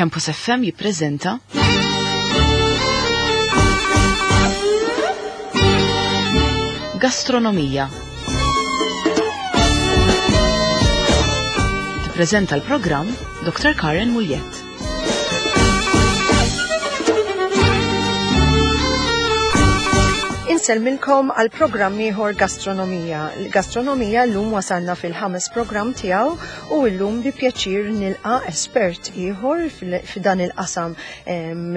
Campus FM jippreżenta Gastronomija. Tippreżenta l-programm Dr. Karen Muljett. Insellmilkom għal programm ieħor Gastronomija. Gastronomija llum wasalna fil-ħames programm tiegħu u llum bi pjaċir nilqa' espert ieħor f'dan il-qasam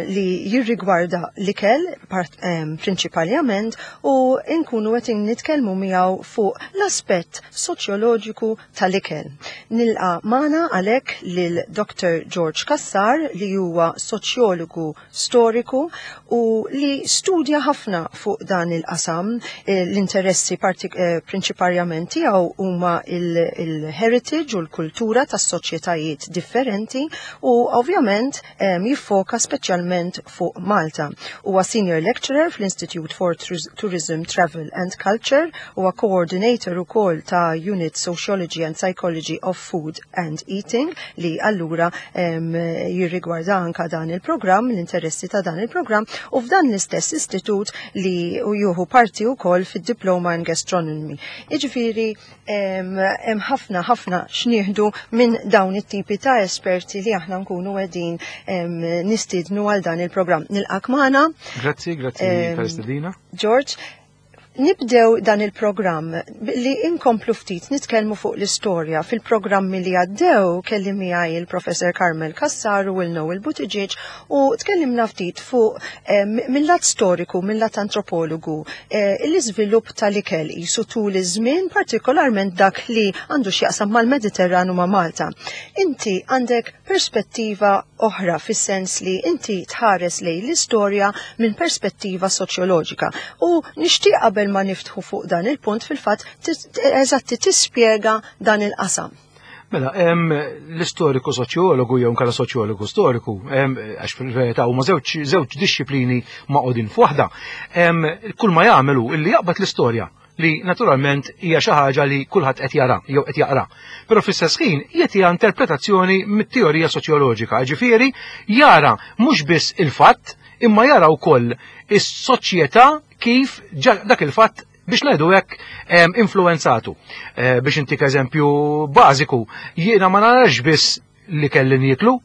li jirrigwarda l-ikel prinċipalment u nkunu qed nitkellmu miegħu fuq l-aspett soċjoloġiku tal-ikel. Nilqa' magħna għalhekk lil Dr. George Cassar li huwa soċjologu storiku u li studja ħafna fuq dan il-qasam. Eh, l-interessi eh, prinċiparjament tiegħu huma il-heritage u l-kultura tas-soċjetajiet differenti u ovvjament jiffoka speċjalment fuq Malta. Huwa senior lecturer fl-Institute for Tourism, Travel and Culture, huwa coordinator ukoll ta' Unit Sociology and Psychology of Food and Eating li allura jirrigwarda anka dan il-programm, l-interessi ta' dan il-programm u f'dan l-istess istitut li juhu parti wkoll fid-Diploma in Gastronomy. Jiġifieri hemm ħafna ħafna x'nieħdu minn dawn it-tipi ta' esperti li aħna nkunu qegħdin nistiednu għal dan il-programm. Nilqak magħna. Grazzi, grazzi tal-istedina. George, Nibdew dan il-programm li inkomplu ftit nitkellmu fuq l-istorja. Fil-programmi li għaddew kelli miegħi il-Professor Carmel Cassar u il-Noel Buttigieg u tkellimna ftit fuq eh, mill-lat storiku, mill-lat antropologu, eh, l-iżvilupp tal-ikel qisu tul iż-żmien, partikolarment dak li għandu x'jaqsam mal-Mediterran u ma' Malta. Inti għandek perspettiva oħra fis-sens li inti tħares lejn l-istorja minn perspettiva soċjoloġika. U nixtieq qabel ma niftħu fuq dan il-punt fil-fatt eżatti tispjega dan il-qasam. Mela, l-istoriku soċjologu jew nkella soċjologu storiku, għax fil-verità huma żewġ żewġ dixxiplini maqogħdin f'waħda, kull ma jagħmel hu illi jaqbad l-istorja li naturalment hija xi ħaġa li kulħadd qed jara jew qed jaqra. Però fl-istess ħin jagħtiha interpretazzjoni mit-teorija soċjoloġika, ġifieri jara mhux biss il-fatt imma jara wkoll is-soċjetà kif dak il-fatt biex ngħidu hekk influenzatu. Eh, biex intik eżempju bażiku, jiena ma narax biss li kelli nieklu,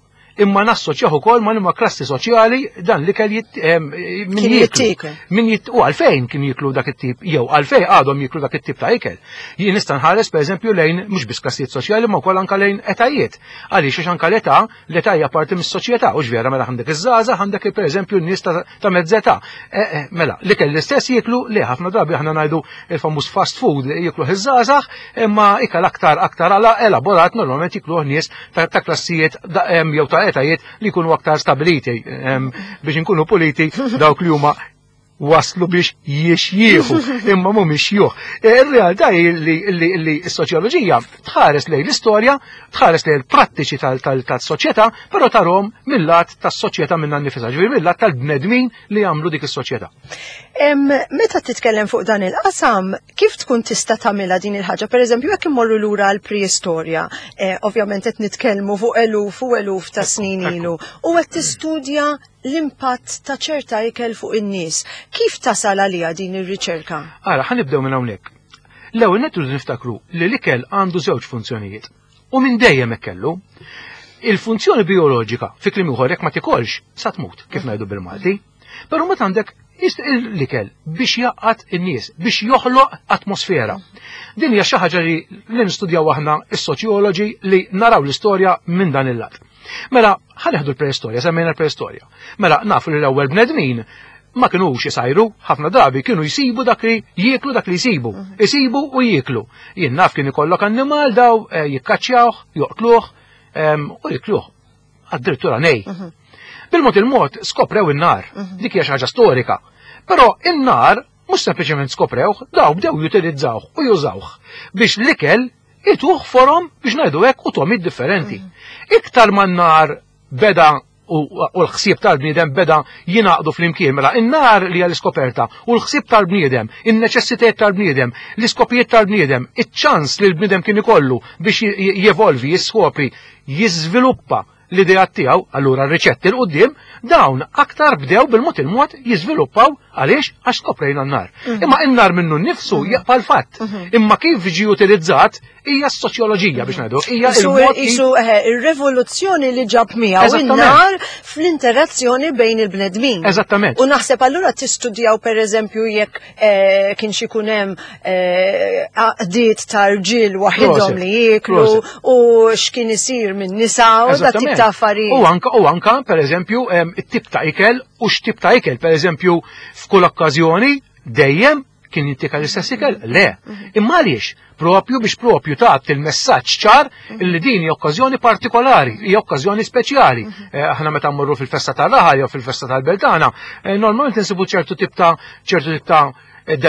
imma nassoċjaħ ukoll ma' liema klassi soċjali dan li kell min jittikel. Min jitt u għalfejn kien jiklu dak it-tip jew għalfejn għadhom jiklu dak it-tip ta' ikel. Jien nista' nħares pereżempju lejn mhux biss klassijiet soċjali ma wkoll anke lejn etajiet. Għaliex għax anke l-età, l-età hija parti mis-soċjetà u vera mela għandek iż-żgħażagħ għandek pereżempju n-nies ta' mezz'età. E, e, mela, l-ikel l-istess jiklu li ħafna drabi aħna ngħidu il-famuż fast food jiklu iż-żgħażagħ imma ikel aktar aktar elaborat normalment jikluh nies ta' klassijiet jew ta' etajiet li jkunu aktar stabiliti biex inkunu puliti dawk li huma waslu biex jiexjieħu imma mhumiex juh. E, ir-realtà hi li s-soċjoloġija tħares lejn l-istorja, tħares lejn il-prattiċi tal-soċjetà, però tarhom mill-lat tas-soċjetà minnha nnifisha, ġifieri mill-lat tal-bnedmin li jagħmlu dik is-soċjetà. Meta titkellem fuq dan il-qasam, kif tkun tista' tagħmilha din il-ħaġa? Pereżempju, jekk immorru lura għal preistorja, eh, ovvjament qed nitkellmu fuq eluf u eluf ta' snin ilu, u qed tistudja l-impatt ta' ċerta ikel fuq in-nies. Kif tasal għaliha din ir-riċerka? Ara, ħa nibdew minn hawnhekk. L-ewwel nett niftakru li l-ikel għandu żewġ funzjonijiet. U minn dejjem hekk kellu. Il-funzjoni bijoloġika, fi kliem ieħor jekk ma tikolx, sa tmut, kif ngħidu bil-Malti. Però meta għandek l-ikel biex jaqqat in-nies, biex joħloq atmosfera. Din hija xi ħaġa li nistudjaw aħna is-soċjoloġi li naraw l-istorja minn dan il-lat. Mela, ħaneħdu l-preistorja, semmejna l-preistorja. Mela, nafu li l-ewwel bnedmin ma kinux isajru, ħafna drabi kienu jsibu dak li jieklu dak li jsibu. Mhm. Isibu u jieklu. Jien naf kien ikollok annimal daw eh, jikkaċċjawh, joqtluh u jikluh. Addirittura nej. Mhm. Bil-mod il-mod skoprew in-nar. Mhm. Dik hija xi ħaġa storika. Però in-nar mhux sempliċement skoprewh, daw bdew jutilizzawh u jużawh biex l-ikel ituh forom biex ngħidu hekk u tomid differenti. Iktar ma n-nar beda u l-ħsieb tal-bniedem beda jingħaqdu flimkien mela in-nar li hija l-iskoperta u l-ħsieb tal-bniedem, in-neċessitajiet tal-bniedem, l-iskopijiet tal-bniedem, iċ-ċans li l-bniedem kien ikollu biex jevolvi, jiskopri, jiżviluppa. l-ideat tiegħu, allura r-riċetti 'l quddiem, dawn aktar bdew bil-mod il-mod jiżviluppaw għaliex għax skoprejna n-nar. Imma n-nar minnu nnifsu jibqa' l-fatt. Imma kif ġie utilizzat hija s-soċjoloġija biex ngħidu, hija il-mod Isu ir-revoluzzjoni li ġab miegħu in-nar fl-interazzjoni bejn il-bnedmin. Eżattament. U naħseb allura tistudjaw pereżempju jekk eh, kien xi jkun hemm eh, għaqdiet ta' rġiel waħidhom li jieklu u x'kien isir minn nisa u da tip ta' affarijiet. U anka u anka pereżempju it-tip ta' ikel u x'tip ta' ikel, pereżempju f'kull okkażjoni dejjem kien jittika l-istess ikel? Le. Mhm. Imma għaliex? Propju biex propju tagħti il-messaġġ ċar mhm. li din hija okkażjoni partikolari, hija okkażjoni speċjali. Mhm. Eh, aħna meta mmorru fil-festa tal-raħal jew fil-festa tal-beltana, eh, normalment insibu ċertu tip ta' ċertu tip ta' eh,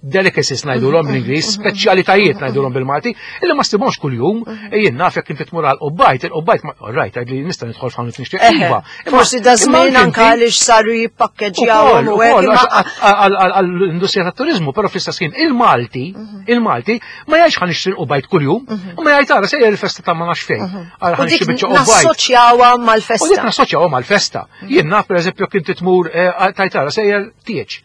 delicacies ngħidulhom bl-Ingliż, speċjalitajiet ngħidulhom bil-Malti, illi ma ssibhomx kuljum, jien naf jekk inti tmur għal qubbajt, il-qubbajt ma right, li nista' nidħol f'ħanut nixtieq iva. Forsi da żmien anke għaliex saru jippakkġjawhom u hekk. Għall-industrija tat-turiżmu, però fl-istess ħin il-Malti, mhm. il-Malti ma jgħidx ħa nixtri l-qubbajt kuljum, mhm. ma jgħid ara sejjer il-festa ta' ma nafx fejn. Mhm. Ara ħa nixtri biċċa qubbajt. Nassoċjawha mal-festa. U dik nassoċjawha mal-festa. Jien naf pereżempju jekk inti tmur eh, tajt ara sejjer tieġ.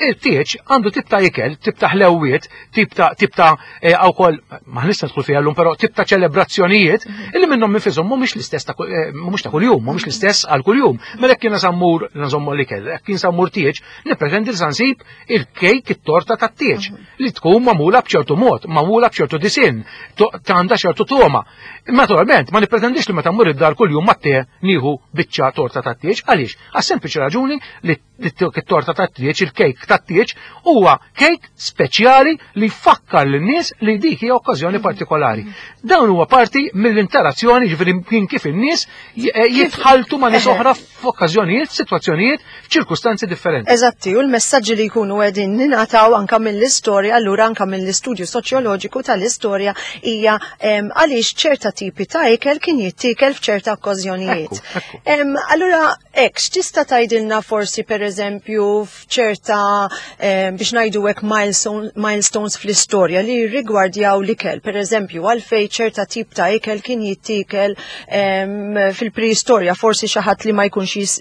Il-tieġ għandu tip ta' ikel, tip ta' ħlewwiet, tip ta' tip ta' eh, wkoll ma nista' nidħol fiha llum però tip ta' ċelebrazzjonijiet mhm. illi minnhom minfishom mhumiex l-istess ta' eh, mhumiex ta' kuljum, mhumiex l-istess għal kuljum. Mela jekk jiena sammur nżommu l-ikel, jekk jien sammur tieġ, nippretendi li sansib il-kejk it-torta tat-tieġ mhm. li tkun magħmula b'ċertu mod, magħmula b'ċertu disinn, għandha ċertu toma. Naturalment, ma nippretendix li meta mmur id-dar kuljum mat-te nieħu biċċa torta tat-tieġ, għaliex? Għas-sempliċi raġuni li it-torta tat-tieġ, il-kejk tat-tieġ, huwa kejk speċjali li jfakkar lin-nies li dik hija okkażjoni partikolari. Dawn huwa parti mill-interazzjoni ġifieri kien kif in-nies eh, jitħaltu ma' nies oħra f'okkażjonijiet, f'sitwazzjonijiet, f'ċirkustanzi differenti. Eżatti, u l-messaġġi li jkunu qegħdin ningħataw anka mill-istorja, allura anka mill-istudju soċjoloġiku tal-istorja hija għaliex ċerta tipi ta' ikel kien jittiekel f'ċerta okkażjonijiet. Allura hekk, x'tista' tgħidilna forsi pereżempju f'ċerta biex ngħidu hekk milestones fl-istorja li rigwardjaw l-ikel, pereżempju għalfejn ċerta tip ta' ikel kien jittiekel fil-preistorja, forsi xi ħadd li ma jkunx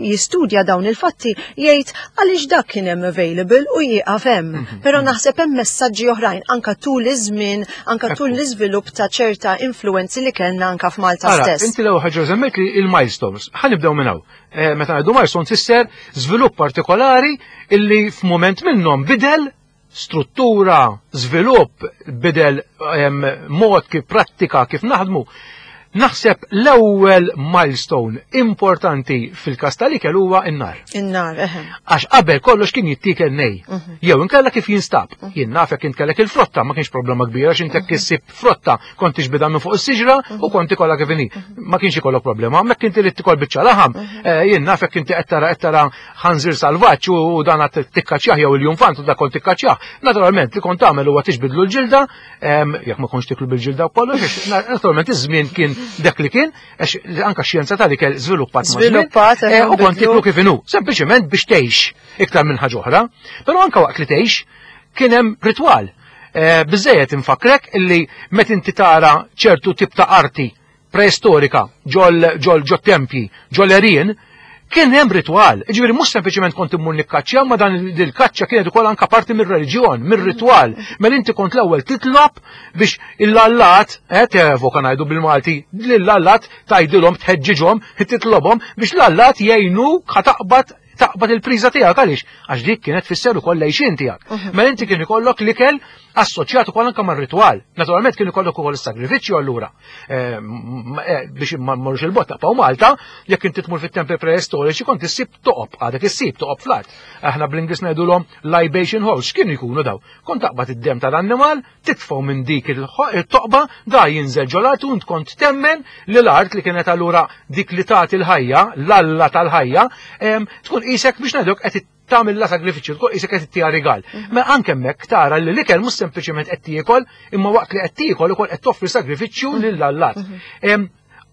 jistudja dawn il-fatti jgħid għaliex dak kien hemm available u jieqaf hemm. Mhm. Però naħseb hemm messaġġi oħrajn anka tul iż-żmien anka tul l-iżvilupp ta' ċerta influenzi li kellna anka f'Malta stess. Inti l-ewwel ħaġa semmejt li il-milestones. Ħa nibdew minn hawn. Eh, meta ngħidu milestones fisser żvilupp partikolari illi f'mument minnhom bidel struttura, żvilupp, bidel mod kif prattika kif naħdmu. Naħseb l-ewwel milestone importanti fil-każ tal-ikel huwa n-nar. In-nar, eħe. Għax qabel kollox kien jittiekel nej. Mhm. Jew inkella kif jinstab. Mhm. Jien naf jekk intkellek il-frotta ma kienx problema kbira għax intek mhm. issib frotta kont tixbidha minn fuq is-siġra u kont ikollha kif inhi. Ma kienx ikollok problema. Hemmhekk inti li tikol biċċa laħam, eh, jien naf jekk inti qed tara qed tara ħanżir salvaġġ u dan qed tikkaċjah jew il-jumfant u dak kont tikkaċjah. Naturalment li kont tagħmel huwa tixbidlu l-ġilda, jekk ma kontx tiklu bil-ġilda u kollox, naturalment iż-żmien kien dak li kien, għax anka xjenza tal-ikel żviluppat Żviluppat, eh, u kont tiklu kif inhu, sempliċement biex tgħix iktar minn ħaġa oħra, però anka waqt li tgħix kien hemm ritwal. Eh, biżejjed infakrek illi meta inti tara ċertu tip ta' arti preistorika ġol ġol ġo tempji, ġol erien, Kien hemm ritwal, jiġifieri mhux sempliċement kont immur nikkaċċja, ma dan il-kaċċa kienet ukoll anka parti mir-reliġjon, mir-ritwal. Mela inti kont l-ewwel titlob biex il-allat, eh, tevoka ngħidu bil-Malti, lill-allat tgħidilhom tħeġġiġhom, titlobhom biex l-allat jgħinu taqbad taqbad il-priża tiegħek għaliex għax dik kienet tfisser ukoll l-għixien tiegħek. Mhm. Mela inti kien ikollok l-ikel assoċjat ukoll anke mar-ritwal. Naturalment kien ikollok ukoll is-sagrifiċċju allura. Eh, eh, biex ma mmorrux il-bot taqpaw Malta, jekk inti tmur fit-tempi preistoriċi kont issib toqob, għadek issib toqob fl-art. Aħna bl-Ingliż ngħidulhom libation holes, x'kienu jkunu daw? Kont taqbad id-dem tal-annimal, titfgħu minn dik il-toqba, da jinżel ġol-art u kont temmen li l-art li kienet allura dik li tagħti l-ħajja, l-alla tal-ħajja, tkun qisek biex ngħidlek qed tagħmilha sagrifiċċju, tkun qisek qed ittiha rigal. Mhm. Ma anke hemmhekk tara li l-ikel mhux sempliċement qed tiekol, imma waqt li qed tiekol ukoll qed toffri sagrifiċċju mhm. lil allat. Mhm.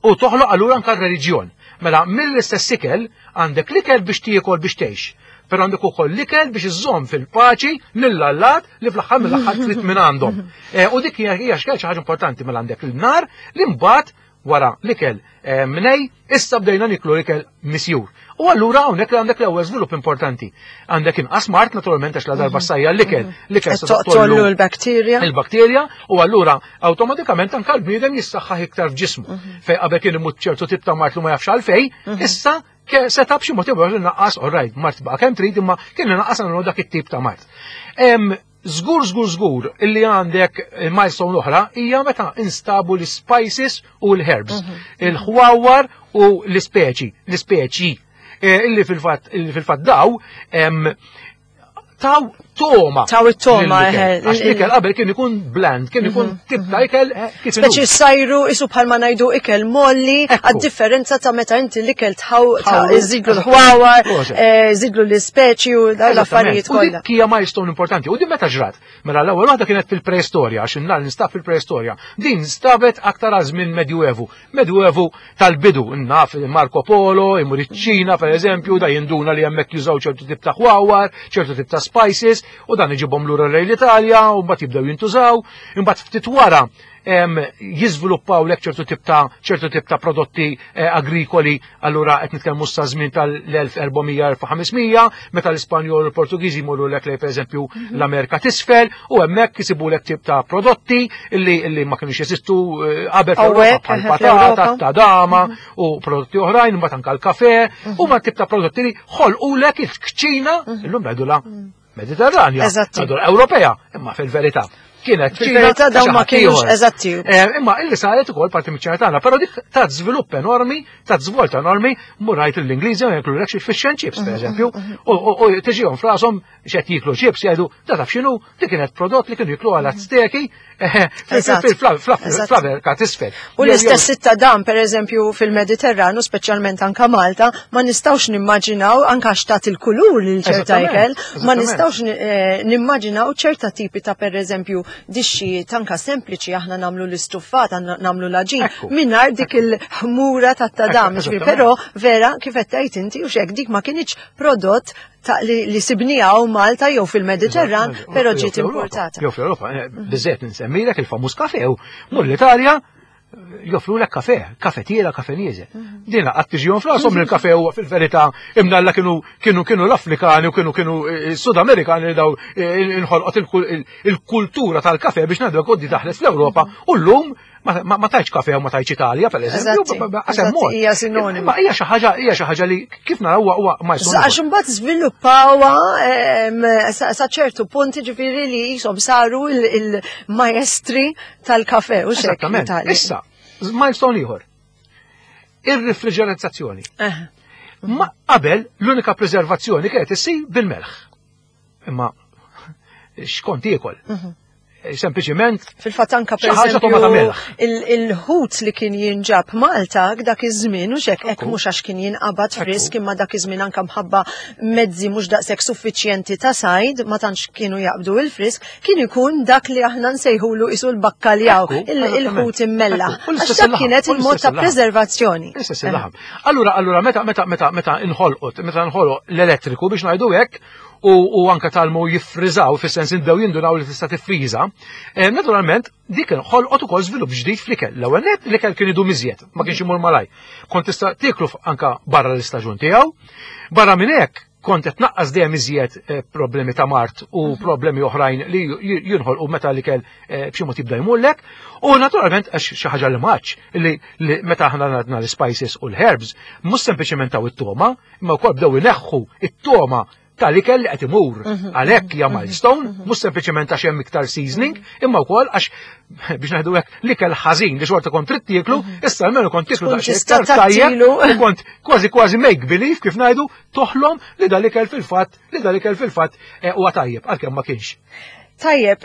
U toħloq allura anke r-reliġjon. Mela mill-istess ikel għandek l-ikel biex tiekol biex tgħix. però għandek ukoll l-ikel biex iżżomm fil-paċi lill-allat li fl-aħħar mill-aħħar trid minn għandhom. Eh, u dik hija hija xi ħaġa importanti mela għandek il-nar li mbagħad wara l-ikel eh, mnej, issa bdejna niklu l-ikel misjur. U allura hawnhekk li għandek l-ewwel żvilupp importanti. Għandek inqas mart naturalment għax la darba mhm. sajja l-ikel, mhm. l-ikel se toqtollu l-bakterja. Il-bakterja u allura awtomatikament anke l-bniedem jissaħħaħ iktar f'ġismu. Mhm. Fej qabel kien imut ċertu tip ta' mart li ma jafx għalfej, issa seta b'xi mod ieħor naqqas, all right, mart baqa' kemm trid imma kien naqqas għandu dak it-tip ta' mart. Żgur, żgur, żgur illi għandek milestone oħra hija meta instabu l-spices u l-herbs, mhm. il-ħwawar u l-ispeċi, l-ispeċi eh, illi fil-fatt illi fil-fatt daw taw toma. Taw it-toma. Eh, eh, Għax l-ikel qabel kien ikun bland, kien ikun mhm, tip ta' mhm. ikel kif Speċi sajru isu bħalma ngħidu ikel molli, għad-differenza ta' meta inti l-ikel tħaw żidlu l-ħwawar, żidlu l-ispeċi u l-affarijiet kollha. U dik hija milestone importanti. U din meta ġrat? Mela l-ewwel waħda kienet fil-preistorja, għax in-nar nistab fil-preistorja. Din stabet aktar għal żmien Medjuevu. Medjuevu tal-bidu, naf Marco Polo, imur iċ-Ċina per eżempju, da jinduna li hemmhekk jużaw ċertu tip ta' ħwawar, ċertu tip ta' spices, u dan iġibhom lura lejn l-Italja, u mbagħad jibdew jintużaw, imbagħad ftit wara jiżviluppaw lek ċertu tip ta' ċertu tip ta' prodotti eh, agrikoli, allura qed nitkellmu sa żmien tal-1400-1500, meta l-Ispanjol u l-Portugiżi jmorru lek lej pereżempju mhm. l-Amerika t'isfel u hemmhekk jisibu lek tip ta' prodotti illi illi ma kienux jeżistu eh, qabel fl-Ewropa bħal patata, tadama mhm. u prodotti oħrajn, mbagħad anke l-kafe, mhm. u ma tip ta' prodotti li ħolqu lek il-kċina, illum ngħidulha Mediterranja, Ewropea, imma fil-verità kienet Fil-verità dawn ma kienux eżatti. Eh, imma illi saret ukoll parti miċ tagħna, però dik ta' żvilupp enormi, ta' żvolta enormi, murajt l-Ingliżi jeklu lek xi fish and chips, pereżempju, mhm, mhm, mhm. u tiġihom frashom x'qed jiklu chips jgħidu ta' taf x'inhu, dik kienet prodott li kienu jiklu għal Azteki eh, fl-Amerika t'isfel. U l-istess sitta dan, per eżempju, fil-Mediterranu, speċjalment anka Malta, ma nistawx nimmaġinaw anka xtat il-kulur lil ċerta ikel, ma nistawx eh, nimmaġinaw ċerta tipi ta' per eżempju dixxijiet anka sempliċi aħna namlu l-istuffat, namlu l-aġin, minnar dik il-ħmura ta' tadam, però vera kif qed tgħid inti u xek dik ma kienx prodott ta' li, li sibnija u Malta jew fil-Mediterran, però ġiet importata. Jew fl-Ewropa, eh, biżżejjed nsemmilek il-famuż kafe u mur l-Italja joffru lek kafe, kafetiera, kafenieze. Mhm. Dina qatt tiġihom fl-asom li l-kafe huwa fil-verità imnalla kienu kienu kienu l-Afrikani u kienu kienu eh, Sudamerikani li daw eh, inħolqot il-kultura tal-kafe biex ngħidu koddi daħlet fl-Ewropa mhm. u llum ma tajċ kafe u ma tajċ Italja, per eżempju, hija sinonima. Ma hija xi ħaġa hija xi ħaġa li kif naraw huwa ma jsir. Għax imbagħad żviluppawha sa ċertu punt ġifieri li jisom saru il-maestri tal-kafe u xek. Issa, milestone ieħor. Ir-refriġerizzazzjoni. Ma qabel l-unika preservazzjoni kienet issir bil-melħ. Imma xkont jiekol. Mhm. Sempliċiment. Fil-fatt anka per eżempju il-ħut li kien jinġab Malta dak iż-żmien u xek hekk mhux għax kien jinqabad frisk imma dak iż-żmien anka mħabba mezzi mhux daqshekk suffiċjenti ta' sajd ma tantx kienu jaqbdu il-frisk kien ikun dak li aħna nsejħulu isu l-bakkaljaw il-ħut immella. Għax dak kienet il-mod ta' preservazzjoni. Allura, allura meta meta meta meta inħolqot, meta nħoloq l-elettriku biex ngħidu hekk u anka talmu jiffriżaw fis-sens indew jindunaw li tista' tiffriża, eh, naturalment dik ħolqot ukoll żvilupp ġdid fl-ikel. L-ewwel nett l-ikel kien idum iżjed, ma kienx imur malaj. Kont tista' tieklu anka barra l-istaġun tiegħu. Barra minn hekk kont qed tnaqqas dejjem iżjed eh, problemi ta' mart u mhm. problemi oħrajn li jinħolqu meta l-ikel eh, b'xi mod jibda jmullek. U naturalment għax xi ħaġa li maċ li meta aħna għadna l-spices u l-herbs, mhux sempliċement taw it-toma, imma wkoll bdew ineħħu it-toma tal-ikel li qed imur. Mhm. Għalhekk hija mhm. milestone, mhux sempliċement għax hemm iktar seasoning, imma wkoll għax biex ngħidu hekk l-ikel ħażin li xorta kont trid tieklu, issa almenu kont tieklu daqsxejn iktar tajjeb u kont kważi kważi make believe kif ngħidu toħlom li dal-ikel fil-fatt li dal-ikel fil-fatt eh, huwa tajjeb għalkemm ma kienx. Tajjeb,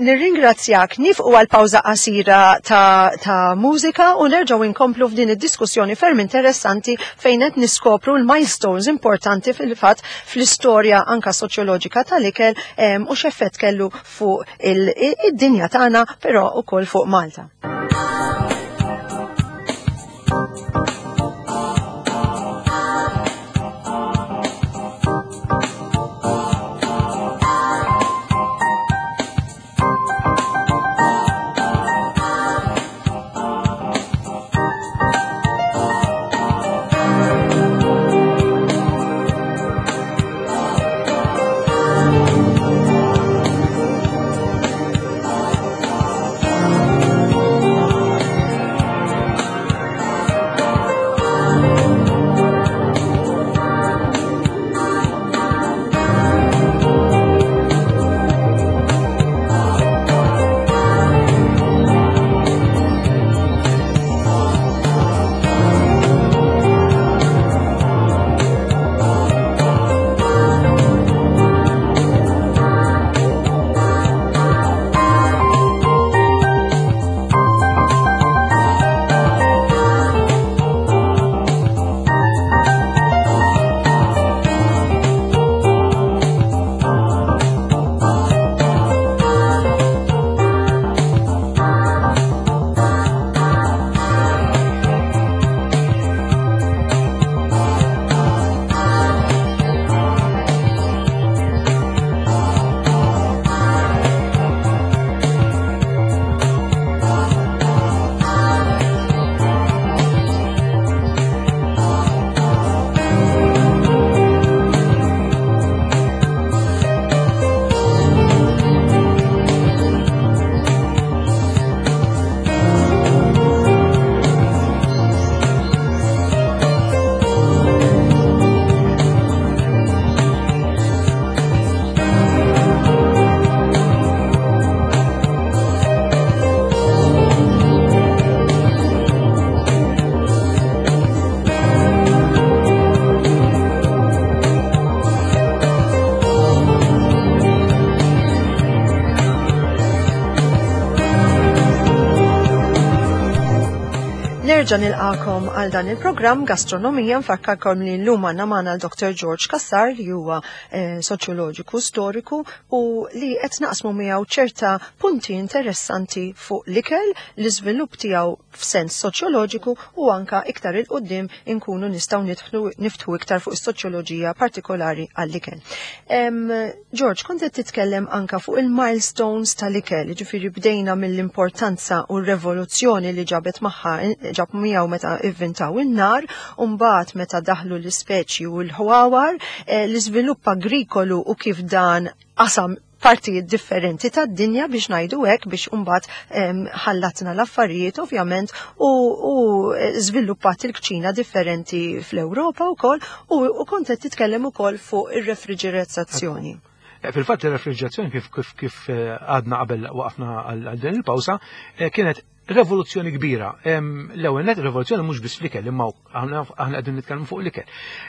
nirringrazzjak nifqu għal pawża qasira ta', ta mużika u nerġgħu inkomplu f'din id-diskussjoni ferm interessanti fejn qed niskopru l-milestones importanti fil-fatt fl-istorja anka soċjoloġika tal-ikel u x'effett kellu fuq id-dinja tagħna però ukoll fuq Malta. Nerġa' nilqakom għal dan il-programm Gastronomija. Nfakkarkom li llum għandna magħna l-Dr. George Cassar li huwa soċjoloġiku storiku u li qed naqsmu miegħu ċerta punti interessanti fuq l-ikel, l-iżvilupp tiegħu f'sens soċjoloġiku u anka iktar 'il quddiem inkunu nistgħu nidħlu niftħu iktar fuq is-soċjoloġija partikolari għall-ikel. George, kont qed titkellem anka fuq il-milestones tal-ikel, ġifieri bdejna mill-importanza u r-revoluzzjoni li ġabet magħha ġab miegħu meta ivvintaw in-nar, u mbagħad meta daħlu l-ispeċi u l-ħwawar, l-iżvilupp agrikolu u kif dan qasam partijiet differenti tad-dinja biex ngħidu hekk, biex imbagħad ħallatna l-affarijiet ovvjament u żviluppat il-kċina differenti fl-Ewropa wkoll u kont qed titkellem ukoll fuq ir-refriġerazzjoni. Fil-fatt ir-refriġerazzjoni kif għadna qabel waqafna għal din il-pawsa kienet revoluzzjoni kbira. L-ewwel net revoluzzjoni mhux biss fl-ikel, imma aħna qegħdin nitkellmu fuq l-ikel.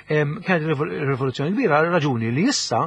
Kienet rivoluzzjoni kbira għal raġuni li issa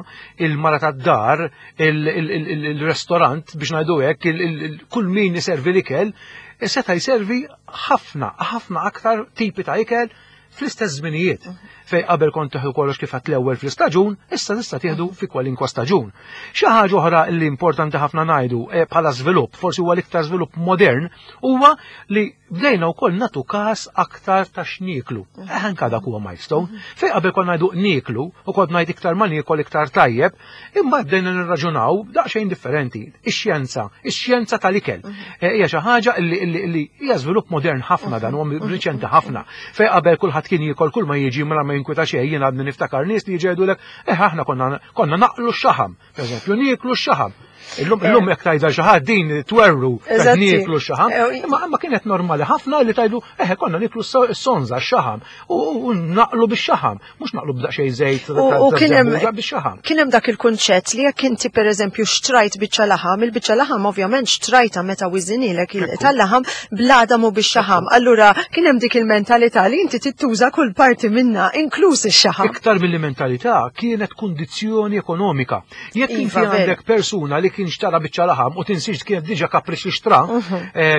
il-mara tad-dar, il-restorant biex ngħidu hekk, kull min iservi l-ikel, seta' jservi ħafna, ħafna aktar tipi ta' ikel fl-istess żminijiet. Fej qabel kont tieħu kollox kif għat l-ewwel fl-istaġun, issa tista' tieħdu fi kwalinkwa staġun. Xi ħaġa oħra li importanti ħafna ngħidu bħala żvilupp, forsi huwa l-iktar żvilupp modern, huwa li bdejna wkoll nagħtu każ aktar ta' x'nieklu. Anka dak huwa milestone. Fej qabel konna ngħidu nieklu u kont ngħid iktar ma niekol iktar tajjeb, imma bdejna nirraġunaw daqsxejn differenti. Ix-xjenza, ix-xjenza tal-ikel. Hija xi ħaġa li hija żvilupp modern ħafna dan huwa riċenti ħafna. Fej qabel kulħadd kien jiekol kull ma jiġi mela ma jinkwita xejn, jien għadni niftakar nies li jiġi jgħidulek, aħna konna naqlu x-xaħam, per eżempju, nieklu x-xaħam. Illum jekk tgħidha xi ħadd din twerru nieklu x-xaħam, imma kienet normali ħafna li tgħidu, konna nieklu s-sonza x-xaħam u naqlu bix-xaħam, mhux naqlu b'daqsxejn żejt U ta' kien hemm żebbuġa bix-xaħam. Kien hemm dak il-kunċett li jekk inti pereżempju xtrajt biċċa laħam, il-biċċa laħam ovvjament xtrajta meta wiżinilek tal-laħam bl-għadam u bix-xaħam. Allura kien hemm dik il-mentalità li inti tittuża kull parti minna, inkluż ix-xaħam. Iktar mill-mentalità kienet kundizzjoni ekonomika. Jekk inti Iva, veru. għandek persuna li kien xtara biċċa laħam u tinsiex kienet diġà kapriċ li xtra,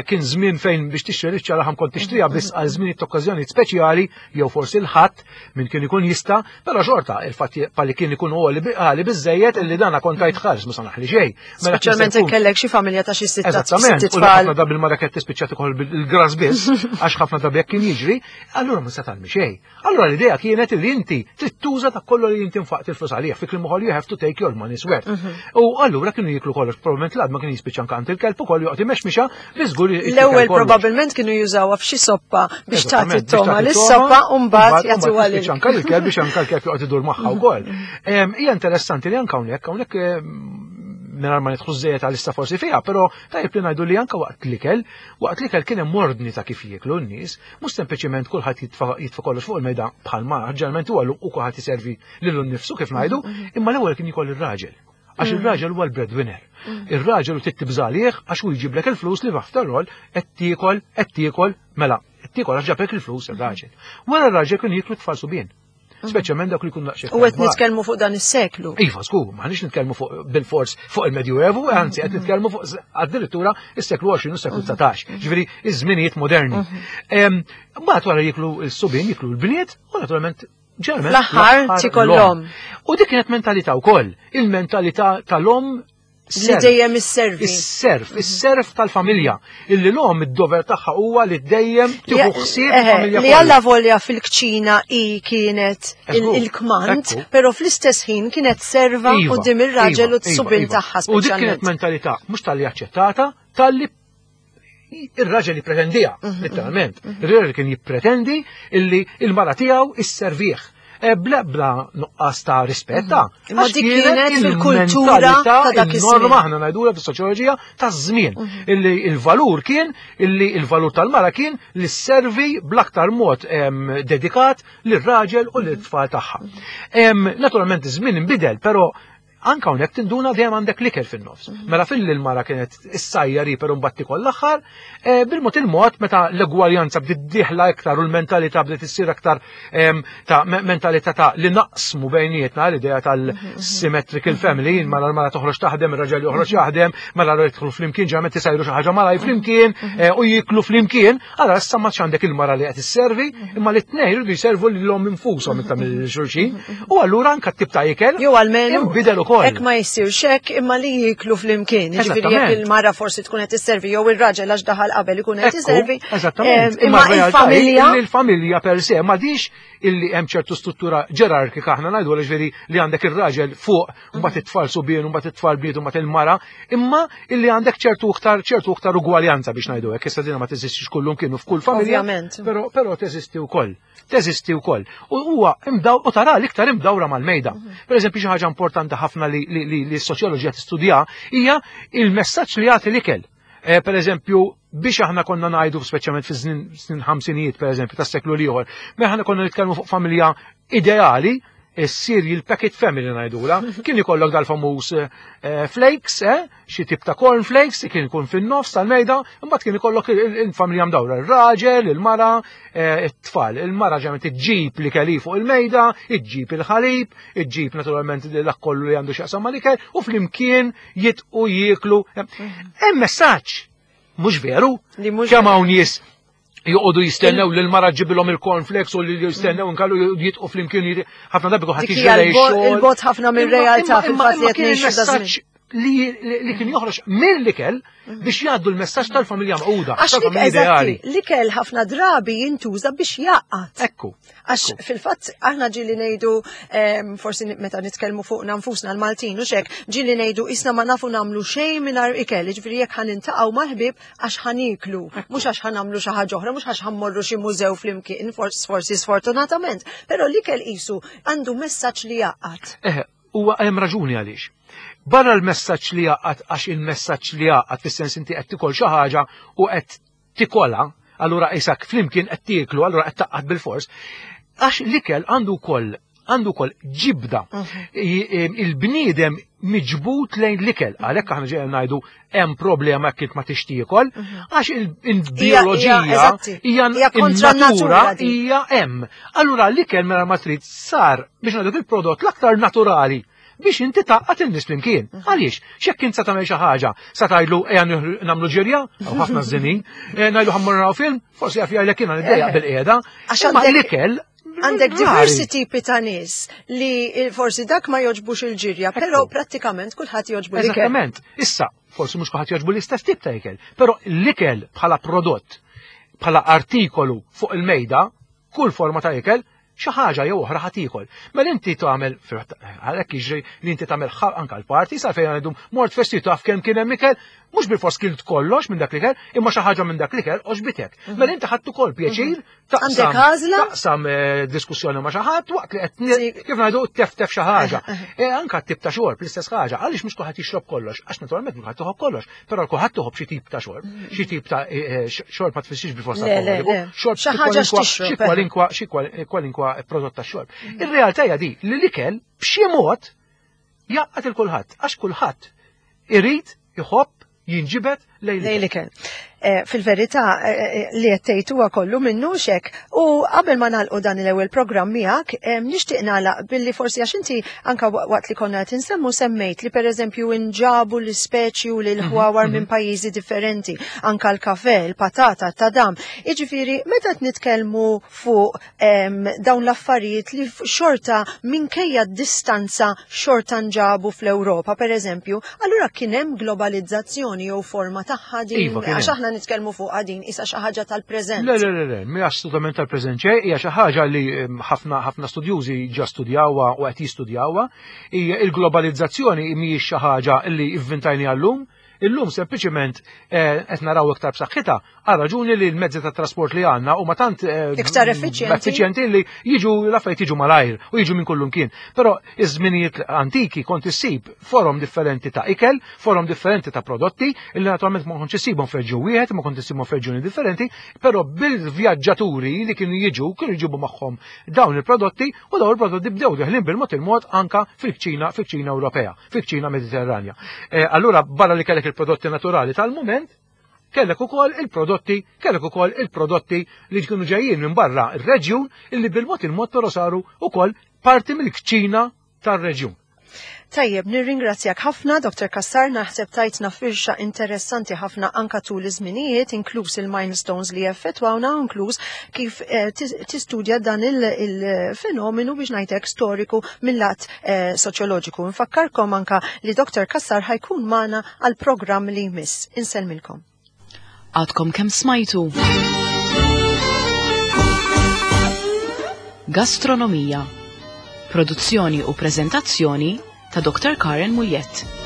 kien żmien fejn biex tixtri biċċa laħam kont tixtriha biss għal żmien okkażjonijiet speċjali jew forsi l-ħadd min kien ikun jista', però xorta il-fatt li kien ikun għali biżejjed illi dana kont tajt ħares ma sanaħli xejn. Mela kien se Speċjalment jkun kellek xi familja ta' xi sitta Eżattament, sitt u tfal. ħafna drabi il-mara kienet tispiċċa tikol il-gras biss, għax ħafna drabi jekk kien jiġri, allura ma se tagħmel xejn. Allura l-idea kienet li inti trid tuża ta' kollu li inti nfaqt il-flus għalih, fi kliem ukoll you have to take your money's worth. U allura kienu jiklu kollox, probabbilment l-għadma kien jispiċċa anke għand il-kelb ukoll joqgħod imexmixa, biżgur jitkellem L-ewwel kollox. probabbilment kienu jużawha f'xi soppa biex tagħti Eżattament, biex t-toma tagħti lis-soppa t-toma, u mbagħad jagħtuha mbagħad lil tispiċċa anke l-kelb biex anke l-kelb joqgħod idur magħha wkoll. Hija interessanti li anke hawnhekk mingħajr ma nidħlu żejjed għal issa forsi fiha, però tajjeb li ngħidu li anke waqt l-ikel kien hemm ordni ta' kif jieklu n-nies, mhux sempliċiment kulħadd jitfa' kollox fuq il-mejda bħalma ġeneralment huwa u kulħadd iservi lilu nnifsu kif ngħidu, imma l-ewwel kien jkoll ir-raġel. Għax ir-raġel huwa l-breadwinner. Ir-raġel u tibża' għalih għax hu jġiblek il-flus li after all qed tiekol, qed tiekol, mela, qed tiekol għax ġablek il-flus ir-raġel. Wara r-raġel kien jieklu tfal subien. Speċjalment dak li jkun daqsxejn U qed kbar. nitkellmu fuq dan is-seklu. Iva, żgur, m'aħniex nitkellmu fuq bil-fors fuq il-Medjuevu, anzi qed nitkellmu fuq addirittura is-seklu 20 u s-seklu 19, ġifieri iż-żminijiet moderni. Mbagħad wara jiklu s-subien, jiklu l-bniet, u naturalment ġeneralment L-aħħar l-aħħar tikol l-omm. l-omm. U dik kienet mentalità wkoll, il-mentalità tal-omm Li serf. dejjem isservi. Is-serf, is-serf tal-familja. Illi l-omm id-dover tagħha huwa li dejjem tieħu ħsieb il-familja Li kollha. alla volja fil-kċina i kienet il-kmand, però fl-istess ħin kienet serva quddiem ir-raġel u t-subien tagħha U dik kienet speċjalment. mentalità mhux tal-li aċċettata, tal-li ir-raġel jippretendiha, letteralment. Ir-raġel kien jippretendi illi il-mara tiegħu isservih. Bla nuqqas ta' rispetta. Imma Għax dik kienet fil-kultura il-mentalità, ta' dak iż-żmien. il-norma aħna ngħidulha fis-soċjoloġija taż-żmien. Illi il-valur kien, illi il-valur tal-mara kien li sservi bl-aktar mod dedikat lir-raġel u lit-tfal tagħha. Naturalment iż-żmien inbidel, però Anka hawnhekk tinduna dejjem għandek l-ikel fin-nofs. Mela fil l-mara kienet issajjar hi però mbagħad tikol l-aħħar, eh, bil-mod il-mod meta l-egwaljanza bdiet dieħla iktar u l-mentalità bdiet issir aktar ta' mentalità ta' li naqsmu bejnietna l-idea tal-symmetrical family, mela l-mara toħroġ taħdem, ir-raġel joħroġ jaħdem, mela jidħlu flimkien ġeneralment isajru xi ħaġa malaj flimkien eh, u jiklu flimkien, allora issa ma għandek il-mara li qed isservi, imma li t-tnejn jridu jservu lilhom infushom iktar mill xulxin. U allura anka t-tip ta' ikel. Jew almenu inbidel ukoll. Hekk ma jsirx hekk imma li jiklu flimkien. Jiġifieri jekk il-mara forsi tkun qed isservi jew ir-raġel għax daħal qabel ikun qed isservi. Eżattament. Imma il-familja. Il-familja per se ma dix illi hemm ċertu struttura ġerarkika aħna ngħidu ġifieri li għandek ir-raġel fuq mbagħad it-tfal subien, mbagħad it-tfal bniet, mbagħad il-mara, imma illi għandek ċertu iktar ċertu iktar ugwaljanza biex ngħidu hekk, issa dina ma teżistix kullum kienu f'kull familja. Però però teżisti wkoll. Teżisti wkoll. U huwa imdaw u tara l-iktar imdawra mal-mejda. Mhm. Per eżempju xi ħaġa importanti ħafna li li s-soċjoloġija tistudja hija il-messaġġ li jagħti l-ikel. Eh, per eżempju, biex aħna konna ngħidu speċjalment fi snin ħamsinijiet per eżempju tas-seklu l-ieħor, meta aħna konna nitkellmu fuq familja ideali, is-cereal packet family ngħidula, kien ikollok dal-famuż eh, flakes, eh, xi tip ta' cornflakes, kien ikun fin-nofs tal-mejda, imbagħad kien ikollok il-familja mdawra, ir-raġel, il-mara, eh, it-tfal. Il-mara ġemet iġġib li kelli fuq il-mejda, iġġib il-ħalib, iġġib naturalment dak kollu li għandu x'jaqsam mal-ikel, u flimkien jitqu jieklu. Hemm messaġġ mhux veru, kemm hawn nies joqogħdu jistennew li l-mara ġibilhom il-cornflakes u li jistennew inkallu jitqu flimkien ħafna drabi kulħadd jiġri Il-bot ħafna mir-realtà fil-fatt li qed ngħixu li kien joħroġ mill-ikel biex jgħaddu l-messaġġ tal-familja maquda, tal-familja ideali. L-ikel ħafna drabi jintuża biex jgħaqqad. Ekku. Għax fil-fatt aħna ġili ngħidu forsi meta nitkellmu fuqna nfusna l-Maltin u xek, ġili ngħidu isna ma nafu nagħmlu xejn mingħajr ikel, jiġifieri jekk ħa nintaqgħu mal-ħbieb għax ħa nieklu, mhux għax ħa nagħmlu xi ħaġa oħra, mhux għax ħa mmorru xi mużew flimkien, forsi sfortunatament, però l-ikel qisu għandu messaġġ li jgħaqqad. Eħe, huwa hemm raġuni għaliex. Barra l-messaġġ li jgħaqqad għax il-messaġġ li jgħaqqad fis-sens inti qed tikol xi ħaġa u qed tikolha, allura isak flimkien qed tieklu, allura qed taqqad bil-fors. Għax l-ikel għandu wkoll għandu wkoll ġibda. Mhm. Il-bniedem miġbut lejn l-ikel, għalhekk aħna ġejja ngħidu hemm problema jekk ma tixtiekol, mhm. għax il-bioloġija hija natura hija hemm. Allura l-ikel mela ma trid sar biex ngħidu il-prodott l-aktar naturali biex inti taqqat il-nies flimkien. Mhm. Għaliex? X'jekk int sa tagħmel xi ħaġa, sa tgħidlu ejja nagħmlu ġirja, għaw ħafna żinin, eh, ngħidu ħammur naraw film, forsi jaf jgħidlek jiena niddejjaq eh. bil-qiegħda. Għax l-ikel Għandek diversi tipi ta' nies li forsi dak ma joġbux il-ġirja, però prattikament kulħadd joġbu l-ikel. Eżattament. Issa, forsi mhux kulħadd joġbu l-istess tip ta' ikel, però l-ikel bħala prodott, bħala artikolu fuq il-mejda, kull forma ta' ikel, xi ħaġa jew oħra ħa tiekol. Mela inti tagħmel għalhekk jiġri li inti tagħmel anke l-party sa fejn għandhom mort festi taf kemm kien hemm ikel, mhux bil-fors kilt kollox minn dak l-ikel, imma xi ħaġa minn dak l-ikel oġbitek. Mhm. Mela inti ħadd ukoll pjaċir mhm. taqsam taqsam eh, diskussjoni ma' xi ħadd waqt li qed kif ngħidu teftef xi ħaġa. Eh, eh. Anke tip ta' xorb l-istess ħaġa, għaliex mhux kulħadd jixrob kollox, għax naturalment mhux kulħadd toħob kollox. Però kulħadd toħob xi tip ta' xorb, xi tip ta' eh, eh, xorb ma tfissirx bil forsa alkoholiku, xorb xi ħaġa xi kwalinkwa xi kwalinkwa prodott ta' xorb. Mm. Ir-realtà hija di li l-ikel b'xi mod jaqgħad il kulħadd għax kulħadd irid iħobb jinġibed lejn l-ikel. Eh, fil-verità eh, eh, li qed tgħid huwa kollu minnu xek. U qabel ma nagħlqu dan l-ewwel programm miegħek, nixtieq nagħlaq billi forsi għax inti anka waqt li konna qed insemmu semmejt li pereżempju inġabu l-ispeċi u l-ħwawar mhm, minn mhm. pajjiżi differenti, anka l-kafe, il-patata, t-tadam. Jiġifieri meta qed nitkellmu fuq dawn l-affarijiet li xorta minkejja d-distanza xorta nġabu fl-Ewropa, per eżempju, allura kien hemm globalizzazzjoni jew forma tagħha din, iva, għax aħna nitkellmu fuqha din isa xi ħaġa tal-preżent. Le, le, le, le, mhi assolutament tal-preżent xejn, hija xi ħaġa li ħafna ħafna studjużi ġa studjawha u qed jistudjawha. Hija il-globalizzazzjoni mhijiex xi ħaġa li ivvintajni għallum, Illum sempliċement eh, qed naraw iktar b'saħħitha għal raġuni li l-mezzi ta' trasport li għandna huma tant eh, iktar effiċjenti li jiġu l-affarijiet jiġu malajr u jiġu minn kullum kien. Però iż-żminijiet antiki kont issib forom differenti ta' ikel, forom differenti ta' prodotti li naturalment ma kontx issibhom f'reġjun wieħed, ma kont issibhom f'reġjuni differenti, però bil-vjaġġaturi li kienu jiġu kienu jġibu magħhom dawn il-prodotti u dawn il-prodotti bdew deħlin bil-mod il-mod anka fil-kċina fil-kċina Ewropea, fil-kċina Mediterranja. Eh, allura barra li kellek il-prodotti naturali tal-mument, kellek ukoll il-prodotti, kellek ukoll il-prodotti li kienu ġejjin minn barra ir-reġjun illi bil-mod il-mod però saru ukoll parti mill-kċina tar-reġjun. Tajjeb, nirringrazzjak ħafna, Dr. Kassar, naħseb tajtna firxa interessanti ħafna anka tul iż-żminijiet, inkluż il-milestones li effettwawna, inkluż kif eh, tistudja dan il-fenomenu biex ngħidlek storiku mill-lat eh, soċjoloġiku. Nfakkarkom anka li Dr. Kassar ħajkun magħna għal programm li jmiss. Insellmilkom. Għadkom kemm smajtu. Gastronomija. Produzzjoni u prezentazzjoni ta' Dr. Karen Muljett.